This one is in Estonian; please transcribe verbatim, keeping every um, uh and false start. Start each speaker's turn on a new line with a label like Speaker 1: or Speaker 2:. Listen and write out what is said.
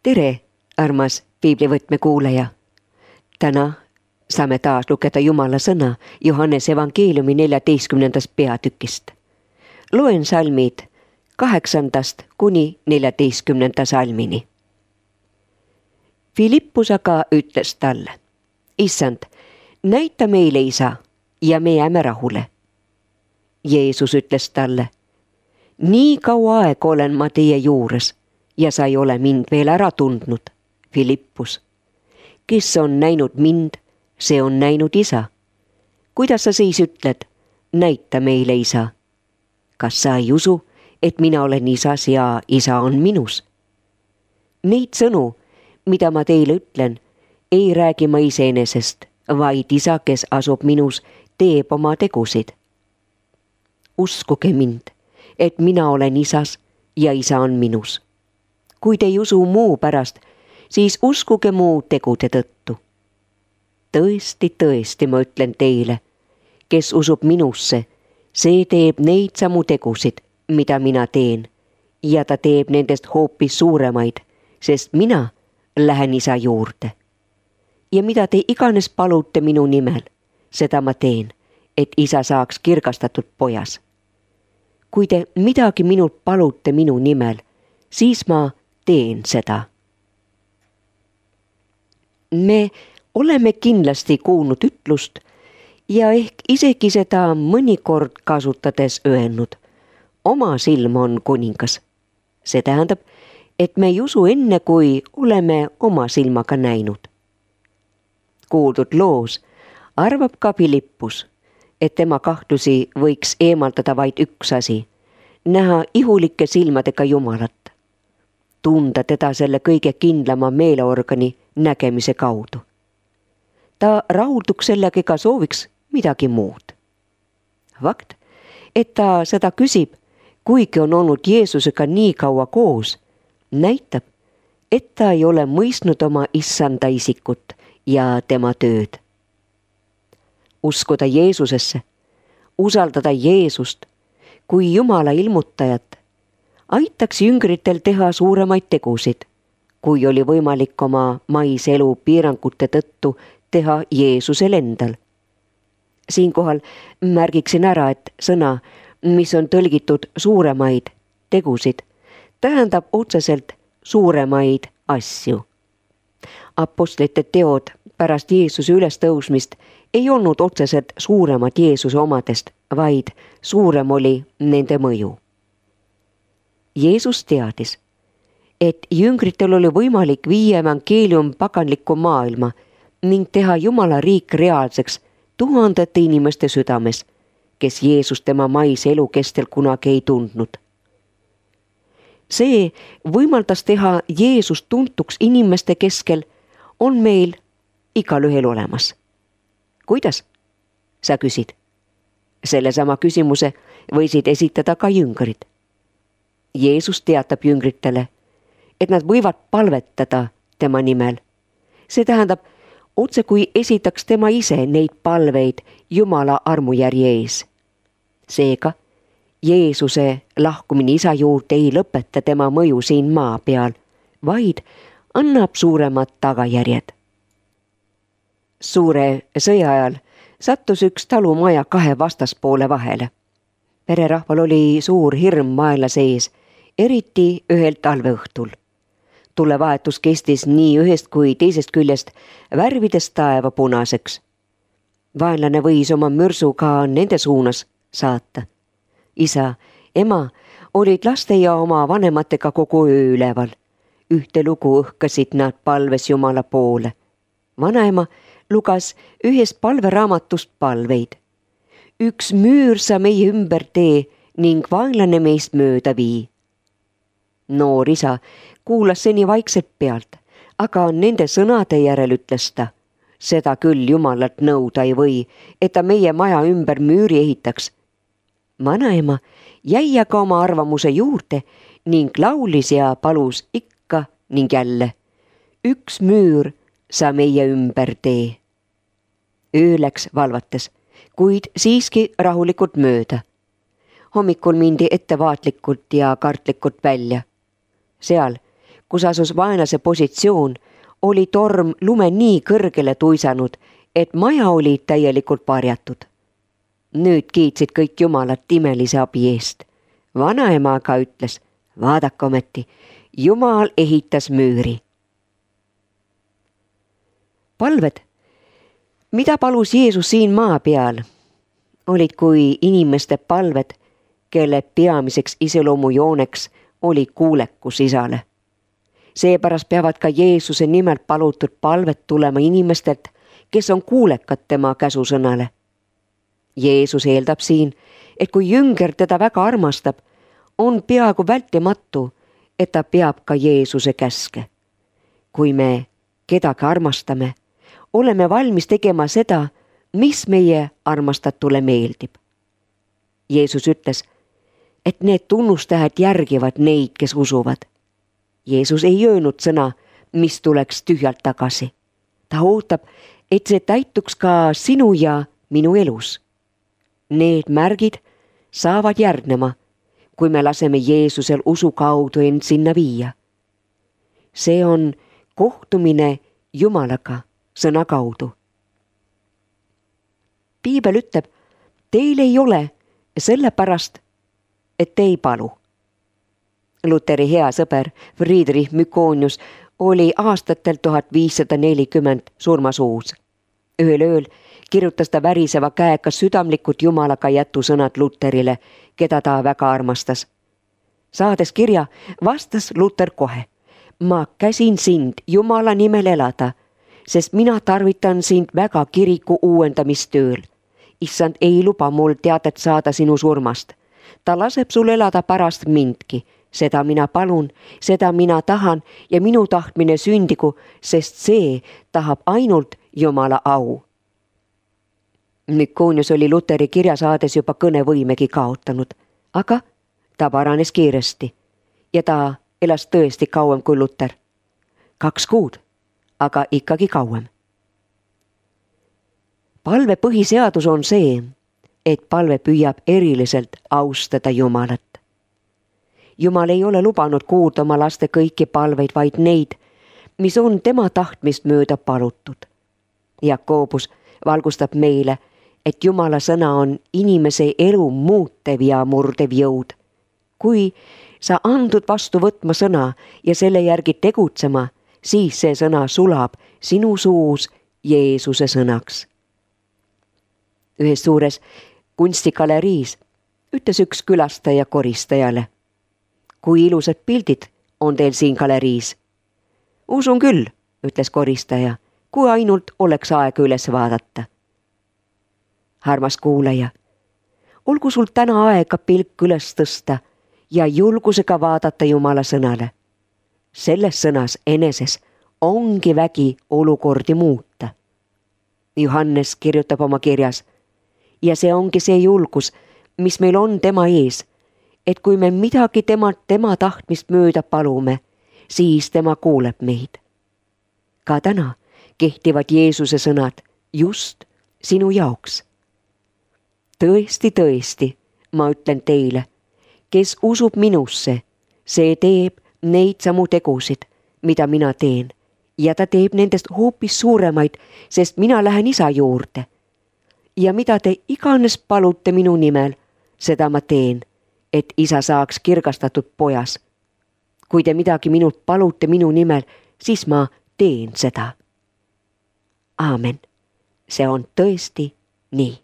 Speaker 1: tere, armas piiblivõtme kuulaja. Täna saame taas lugeda Jumala sõna Johannese evangeeliumi neljateistkümnendast peatükist. Loen salmid kaheksandast kuni neljateistkümnenda salmini. Filippus aga ütles talle: Issand, näita meile isa ja me jääme rahule. Jeesus ütles talle: nii kaua aega olen ma teie juures ja sa ei ole mind veel ära tundnud, Filippus. Kes on näinud mind, see on näinud isa. Kuidas sa siis ütled, näita meile isa? Kas sa ei usu, et mina olen isas ja isa on minus? Neid sõnu, mida ma teile ütlen, ei räägi ma iseenesest, vaid isa, kes asub minus, teeb oma tegusid. Uskuge mind, et mina olen isas ja isa on minus. Kui te ei usu muu pärast, siis uskuge muu tegude tõttu. Tõesti, tõesti, ma ütlen teile, kes usub minusse, see teeb neid samu tegusid, mida mina teen, ja ta teeb nendest hoopis suuremaid, sest mina lähen isa juurde. Ja mida te iganes palute minu nimel, seda ma teen, et isa saaks kirgastatud pojas. Kui te midagi minult palute minu nimel, siis ma teen seda. Me oleme kindlasti kuulnud ütlust ja ehk isegi seda mõnikord kasutades öelnud: oma silm on kuningas. See tähendab, et me ei usu enne, kui oleme oma silmaga näinud. Kuuldud loos arvab ka Filippus, et tema kahtlusi võiks eemaldada vaid üks asi: näha ihulike silmadega Jumalat. Tunda teda selle kõige kindlama meeleorgani nägemise kaudu. Ta rahulduks sellega ega sooviks midagi muud. Fakt, et ta seda küsib, kuigi on olnud Jeesusega nii kaua koos, näitab, et ta ei ole mõistnud oma issanda isikut ja tema tööd. Uskuda Jeesusesse, usaldada Jeesust kui Jumala ilmutajat, aitaks jüngritel teha suuremaid tegusid, kui oli võimalik oma maise elu piirangute tõttu teha Jeesusel endal. Siinkohal märgiksin ära, et sõna, mis on tõlgitud suuremaid tegusid, tähendab otseselt suuremaid asju. Apostlite teod pärast Jeesuse ülestõusmist ei olnud otseselt suuremad Jeesuse omadest, vaid suurem oli nende mõju. Jeesus teadis, et jüngritel oli võimalik viia evangeelium paganlikku maailma ning teha Jumala riik reaalseks tuhandete inimeste südames, kes Jeesus tema maise elu kestel kunagi ei tundnud. See võimaldas teha Jeesus tuntuks inimeste keskel on meil igalühel olemas. Kuidas? Sa küsid. Sellesama küsimuse võisid esitada ka jüngrid. Jeesus teatab jüngritele, et nad võivad palvetada tema nimel. See tähendab, otse kui esitaks tema ise neid palveid Jumala armujärje ees. Seega, Jeesuse lahkumine isa juurde ei lõpeta tema mõju siin maa peal, vaid annab suuremad tagajärjed. Suure sõja ajal sattus üks talumaja kahe vastaspoole vahele. Pererahval oli suur hirm vaenlase ees, eriti ühel talveõhtul. Tulevahetus kestis nii ühest kui teisest küljest, värvides taeva punaseks. Vaenlane võis oma mürsuga nende suunas saata. Isa, ema olid laste ja oma vanematega kogu öö üleval. Ühte lugu õhkasid nad palves Jumala poole. Vanaema lugas ühest palveraamatust palveid. Üks müür sa meie ümber tee ning vaenlane meist mööda vii. Noor isa kuulas seni vaikselt pealt, aga nende sõnade järel ütles ta: seda küll Jumalalt nõuda ei või, et ta meie maja ümber müüri ehitaks. Vanaema jäi aga oma arvamuse juurde ning laulis ja palus ikka ning jälle: üks müür sa meie ümber tee. Öö läks valvates, kuid siiski rahulikult mööda. Hommikul mindi ettevaatlikult ja kartlikult välja. Seal, kus asus vaenlase positsioon, oli torm lume nii kõrgele tuisanud, et maja oli täielikult varjatud. Nüüd kiitsid kõik Jumalat imelise abi eest. Vanaema aga ütles, vaadake ometi, Jumal ehitas müüri. Palved, mida palus Jeesus siin maa peal, olid kui inimeste palved, kelle peamiseks iseloomujooneks oli kuulekus Isale. Seepärast peavad ka Jeesuse nimelt palutud palved tulema inimestelt, kes on kuulekad tema käsusõnale. Jeesus eeldab siin, et kui jünger teda väga armastab, on peaaegu vältimatu, et ta peab ka Jeesuse käske. Kui me kedagi armastame, oleme valmis tegema seda, mis meie armastatule meeldib. Jeesus ütles, et need tunnustähed järgivad neid, kes usuvad. Jeesus ei öelnud sõna, mis tuleks tühjalt tagasi. Ta ootab, et see täituks ka sinu ja minu elus. Need märgid saavad järgnema, kui me laseme Jeesusel usu kaudu end sinna viia. See on kohtumine Jumalaga sõna kaudu. Piibel ütleb, teil ei ole sellepärast, et te ei palu. Luteri hea sõber Friedrich Mykonius oli aastatel tuhat viissada nelikümmend surmasuus. Ühel ööl kirjutas ta väriseva käega südamlikud Jumalaga jätusõnad Luterile, keda ta väga armastas. Saades kirja, vastas Luter kohe, ma käsin sind Jumala nimel elada, sest mina tarvitan sind väga kiriku uuendamistööl. Issand ei luba mul teadet saada sinu surmast. Ta laseb sul elada pärast mindki. Seda mina palun, seda mina tahan ja minu tahtmine sündigu, sest see tahab ainult Jumala au. Mykonius oli Luteri kirja saades juba kõnevõimegi kaotanud, aga ta paranes kiiresti ja ta elas tõesti kauem kui Luter. Kaks kuud, aga ikkagi kauem. Palve põhiseadus on see, et palve püüab eriliselt austada Jumalat. Jumal ei ole lubanud kuulda oma laste kõiki palveid, vaid neid, mis on tema tahtmist mööda palutud. Jakobus valgustab meile, et Jumala sõna on inimese elu muutev ja murdev jõud. Kui sa andud vastu võtma sõna ja selle järgi tegutsema, siis see sõna sulab sinu suus Jeesuse sõnaks. Ühes suures kunstigaleriis ütles üks külastaja koristajale, kui ilusad pildid on teil siin galeriis. Usun küll, ütles koristaja, kui ainult oleks aega üles vaadata. Armas kuulaja, olgu sul täna aega pilk üles tõsta ja julgusega vaadata Jumala sõnale. Selles sõnas eneses ongi vägi olukordi muuta. Johannes kirjutab oma kirjas, ja see ongi see julgus, mis meil on tema ees, et kui me midagi temalt tema tahtmist mööda palume, siis tema kuuleb meid. Ka täna kehtivad Jeesuse sõnad just sinu jaoks. Tõesti, tõesti, ma ütlen teile, kes usub minusse, see teeb neid samu tegusid, mida mina teen, ja ta teeb nendest hoopis suuremaid, sest mina lähen Isa juurde. Ja mida te iganes palute minu nimel, seda ma teen, et Isa saaks kirgastatud pojas. Kui te midagi minult palute minu nimel, siis ma teen seda. Aamen. See on tõesti nii.